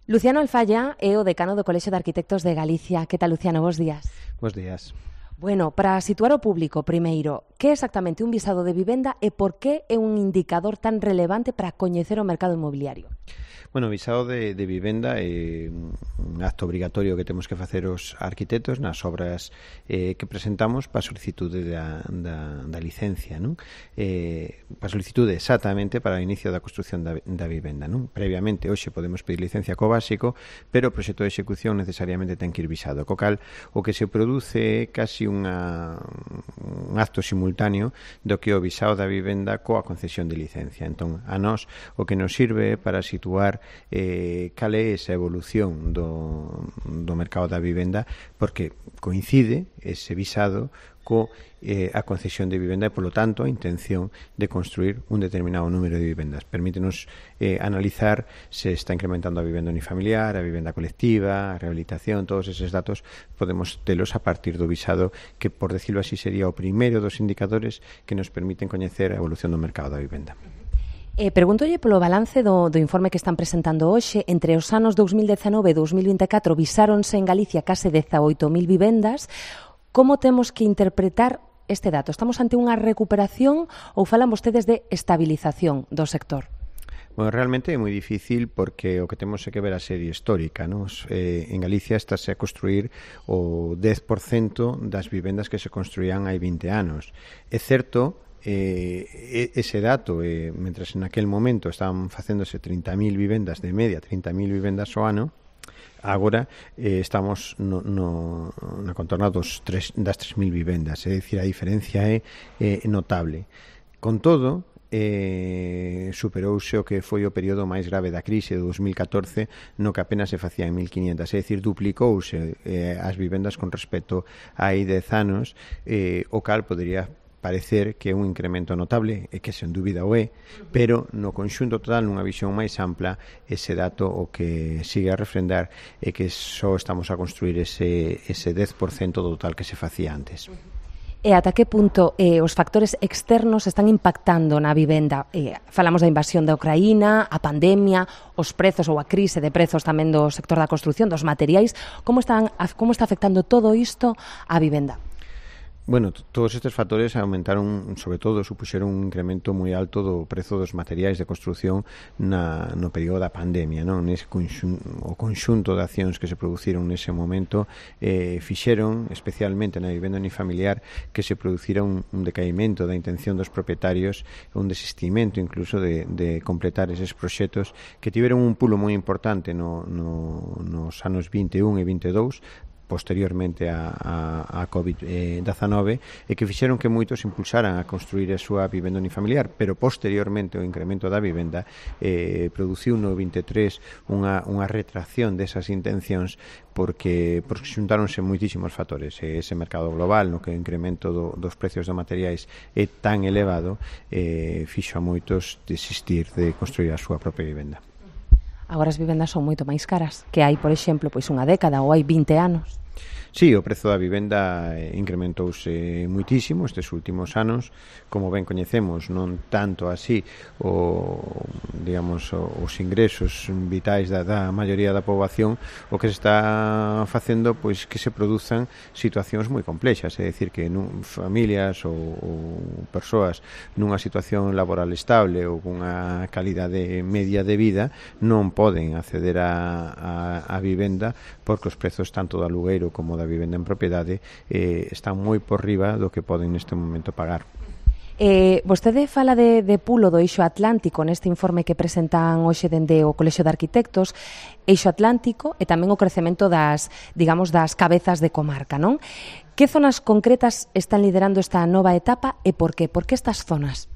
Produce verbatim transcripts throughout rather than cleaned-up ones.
Luciano Alfaya é o decano do Colexio de Arquitectos de Galicia. Que tal, Luciano? Bos días. Bos días. Bueno, para situar o público, primeiro, que é exactamente un visado de vivenda e por que é un indicador tan relevante para coñecer o mercado inmobiliario? Bueno, o visado de, de vivenda é un acto obrigatorio que temos que facer os arquitectos nas obras eh, que presentamos para a solicitude da, da, da licencia, non? Eh, para a solicitude exactamente para o inicio da construcción da, da vivenda, non? Previamente, hoxe podemos pedir licencia co básico, pero o proxecto de execución necesariamente ten que ir visado. Co cal, o que se produce é casi unha, un acto simultáneo do que o visado da vivenda coa concesión de licencia. Entón, a nós o que nos sirve para situar eh, cal é esa evolución do, do mercado da vivenda, porque coincide ese visado co eh, a concesión de vivenda e, polo tanto, a intención de construir un determinado número de vivendas. Permítenos eh, analizar se está incrementando a vivenda unifamiliar, a vivenda colectiva, a rehabilitación, todos eses datos podemos telos a partir do visado, que, por decirlo así, sería o primeiro dos indicadores que nos permiten coñecer a evolución do mercado da vivenda. Eh, Pregúntolle polo balance do, do informe que están presentando hoxe. Entre os anos dous mil dezanove e dous mil vinte e catro visáronse en Galicia case dezaoito mil vivendas. Como temos que interpretar este dato? Estamos ante unha recuperación ou falan vostedes de estabilización do sector? Bueno, realmente é moi difícil porque o que temos é que ver a serie histórica, non? Eh, en Galicia estáse a construir o dez por cento das vivendas que se construían hai vinte anos. É certo, eh, ese dato, eh, mentres en aquel momento estaban facéndose trinta mil vivendas de media, trinta mil vivendas ao ano, agora eh, estamos no, no, na contorna dos tres, das tres mil vivendas, é dicir, a diferencia é eh, notable. Con todo, eh, superouse o que foi o período máis grave da crise de dous mil catorce, no que apenas se facía en mil quinientas, é dicir, duplicouse eh, as vivendas con respecto a hai dez anos, eh, o cal podería parecer que é un incremento notable, e que sen dúbida o é, pero no conxunto total, nunha visión máis ampla, ese dato o que sigue a refrendar é que só estamos a construir ese, ese dez por cento do total que se facía antes. E ata que punto eh, os factores externos están impactando na vivenda? Eh, falamos da invasión da Ucraína, a pandemia, os prezos ou a crise de prezos tamén do sector da construción, dos materiais. Como, están, como está afectando todo isto á vivenda? Bueno, todos estes factores aumentaron, sobre todo, supuxeron un incremento moi alto do prezo dos materiais de construción na, no período da pandemia, non? Nese conxunto, o conxunto de accións que se produciron nese momento eh, fixeron, especialmente na vivenda unifamiliar, que se producira un, un decaimento da intención dos propietarios, un desistimento incluso de, de completar eses proxectos que tiveron un pulo moi importante no, no, nos anos vinte e un e vinte e dous, posteriormente a, a, a covid dezanove, e que fixeron que moitos impulsaran a construir a súa vivenda unifamiliar, pero posteriormente o incremento da vivenda eh, produciu no vinte e tres unha, unha retracción desas intencións, porque, porque xuntáronse moitísimos factores. Ese mercado global no que o incremento do, dos precios de materiais é tan elevado, eh, fixo a moitos desistir de construir a súa propia vivenda. Agora as vivendas son moito máis caras que hai, por exemplo, pois unha década ou hai vinte anos. Sí, o prezo da vivenda incrementouse muitísimo estes últimos anos, como ben coñecemos, non tanto así o, digamos, os ingresos vitais da, da maioría da poboación. O que se está facendo, pois, que se produzan situacións moi complexas, é dicir, que nun, familias ou, ou persoas nunha situación laboral estable ou cunha calidade media de vida non poden acceder a, a, a vivenda, porque os prezos tanto do alugueiro como da vivenda en propiedade eh, están moi por riba do que poden neste momento pagar. Eh, vostede fala de, de pulo do eixo atlántico neste informe que presentan hoxe dende o Colexio de Arquitectos, eixo atlántico e tamén o crecemento das, digamos, das cabezas de comarca, non? Que zonas concretas están liderando esta nova etapa e por qué? Por que estas zonas?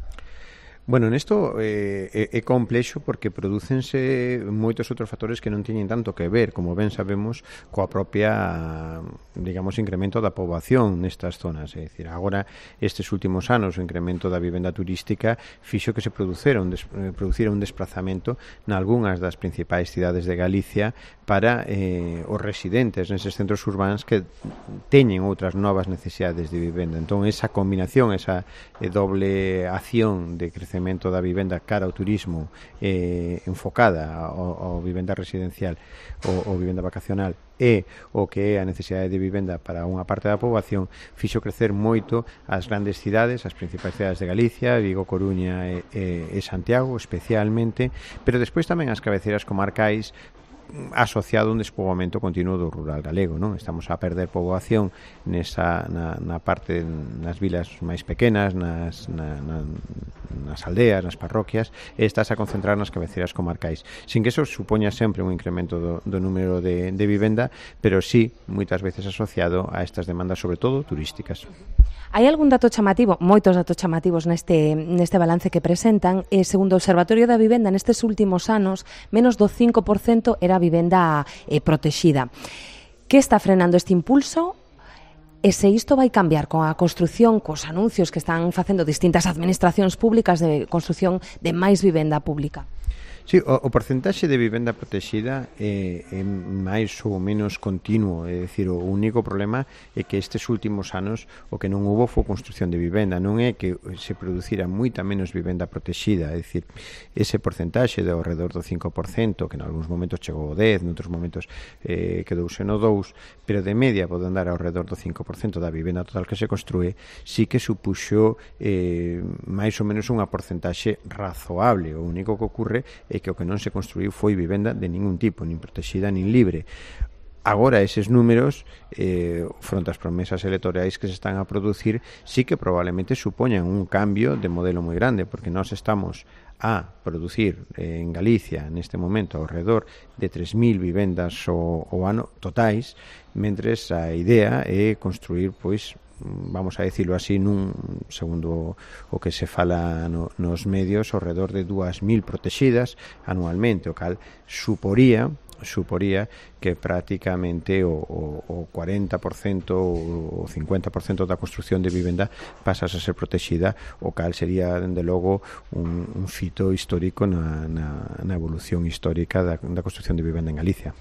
Bueno, nesto eh, é complexo porque prodúcense moitos outros factores que non teñen tanto que ver, como ben sabemos, coa propia, digamos, incremento da poboación nestas zonas. É dicir, agora, estes últimos anos, o incremento da vivenda turística fixo que se producera un, des, producira un desplazamento nalgúnas das principais cidades de Galicia para eh, os residentes neses centros urbanos que teñen outras novas necesidades de vivenda. Entón, esa combinación, esa eh, doble acción de crecemento incremento da vivenda cara ao turismo eh, enfocada ao, ao vivenda residencial ou, ou vivenda vacacional e o que é a necesidade de vivenda para unha parte da poboación, fixo crecer moito as grandes cidades, as principais cidades de Galicia, Vigo, Coruña e, e, e Santiago especialmente, pero despois tamén as cabeceiras comarcais, asociado a un despoboamento continuo do rural galego, non? Estamos a perder poboación nesa, na, na parte, nas vilas máis pequenas, nas, na, na, nas aldeas, nas parroquias, e estás a concentrar nas cabeceiras comarcais, sin que eso supoña sempre un incremento do, do número de, de vivenda, pero sí, moitas veces asociado a estas demandas, sobre todo turísticas. Hai algún dato chamativo, moitos datos chamativos neste, neste balance que presentan, e segundo o Observatorio da Vivenda nestes últimos anos, menos do cinco por cento era vivenda eh, protexida. Que está frenando este impulso? E se isto vai cambiar con a construción, cos anuncios que están facendo distintas administracións públicas de construción de máis vivenda pública? Sí, o, o porcentaxe de vivenda protexida é, é máis ou menos continuo, é dicir, o único problema é que estes últimos anos o que non hubo foi construción de vivenda, non é que se producira moita menos vivenda protexida, é dicir, ese porcentaxe de ao redor do cinco por cento, que en algúns momentos chegou ao dez, noutros momentos eh, quedouse no dous, pero de media pode andar ao redor do cinco por cento da vivenda total que se construe, sí que supuxo eh, máis ou menos unha porcentaxe razoable. O único que ocorre é que o que non se construiu foi vivenda de ningún tipo, nin protexida nin libre. Agora, eses números, eh, fronte ás promesas electorais que se están a producir, sí que probablemente supoñan un cambio de modelo moi grande, porque nós estamos a producir eh, en Galicia, neste momento, ao redor de tres mil vivendas o, o ano totais, mentres a idea é construir, pois, vamos a decirlo así, nun, segundo o que se fala no, nos medios, ao redor de dúas mil protexidas anualmente, o cal suporía suporía que prácticamente o, o, o cuarenta por cento ou o cincuenta por cento da construción de vivenda pasas a ser protexida, o cal sería, dende logo, un, un fito histórico na, na, na evolución histórica da, da construción de vivenda en Galicia.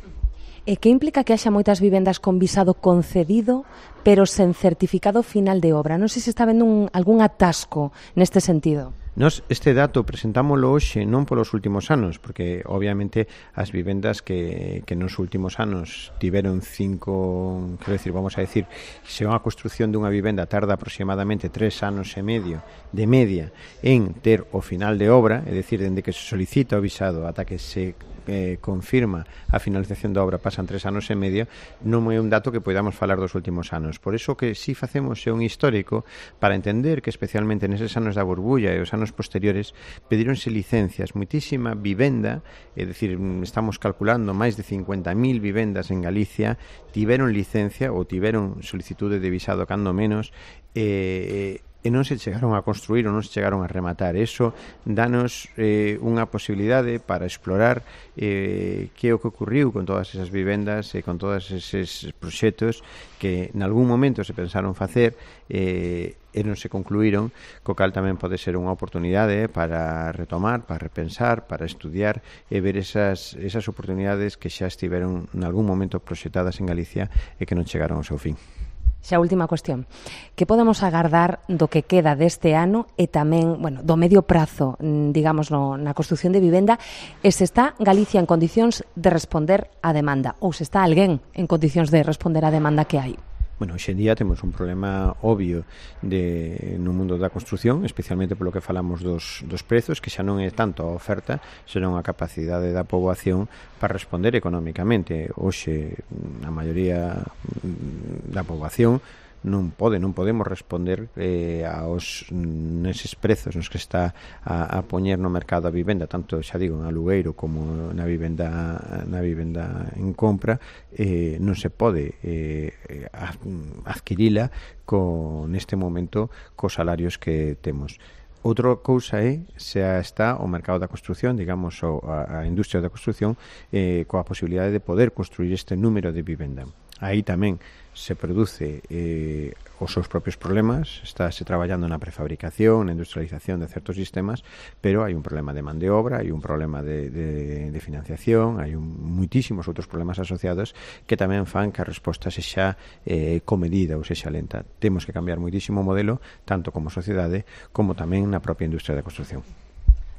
E que implica que haxa moitas vivendas con visado concedido, pero sen certificado final de obra? Non sei se está vendo un, algún atasco neste sentido. Nos este dato presentámoslo hoxe non polos últimos anos, porque obviamente as vivendas que, que nos últimos anos tiveron cinco, quero decir, vamos a decir, se unha construción dunha vivenda tarda aproximadamente tres anos e medio de media en ter o final de obra, é dicir, dende que se solicita o visado ata que se eh, confirma a finalización da obra pasan tres anos e medio, non é un dato que podamos falar dos últimos anos. Por iso que si facemos é un histórico para entender que especialmente neses anos da burbulla e os anos posteriores pedíronse licencias, muitísima vivenda, é dicir, estamos calculando máis de cincuenta mil vivendas en Galicia tiveron licencia ou tiveron solicitude de visado cando menos e, e non se chegaron a construir ou non se chegaron a rematar. Eso danos eh, unha posibilidade para explorar eh, que é o que ocurriu con todas esas vivendas e con todos eses proxectos que en algún momento se pensaron facer eh, e non se concluíron, co cal tamén pode ser unha oportunidade para retomar, para repensar, para estudiar e ver esas, esas oportunidades que xa estiveron en algún momento proxectadas en Galicia e que non chegaron ao seu fin. Xa última cuestión. Que podemos agardar do que queda deste ano e tamén, bueno, do medio prazo, digamos, no, na construción de vivenda, e se está Galicia en condicións de responder á demanda ou se está alguén en condicións de responder á demanda que hai? Bueno, hoxe en día temos un problema obvio de, no mundo da construción, especialmente polo que falamos dos, dos prezos, que xa non é tanto a oferta, senón a capacidade da poboación para responder económicamente. Hoxe, a maioría da poboación non pode, non podemos responder eh, aos neses prezos nos que está a, a poñer no mercado a vivenda, tanto, xa digo, en alugueiro como na vivenda na vivenda en compra, eh, non se pode eh, adquirila con neste momento cos salarios que temos. Outra cousa é se está o mercado da construción, digamos, o, a, a industria da construción eh, coa posibilidade de poder construir este número de vivenda. Aí tamén se produce eh, os seus propios problemas, estáse traballando na prefabricación, na industrialización de certos sistemas, pero hai un problema de man de obra, hai un problema de, de, de financiación, hai un, muitísimos outros problemas asociados que tamén fan que a resposta sexa eh, comedida ou sexa lenta. Temos que cambiar muitísimo o modelo, tanto como sociedade, como tamén na propia industria da construción.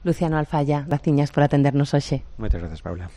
Luciano Alfaya, graciñas por atendernos hoxe. Moitas grazas, Paula.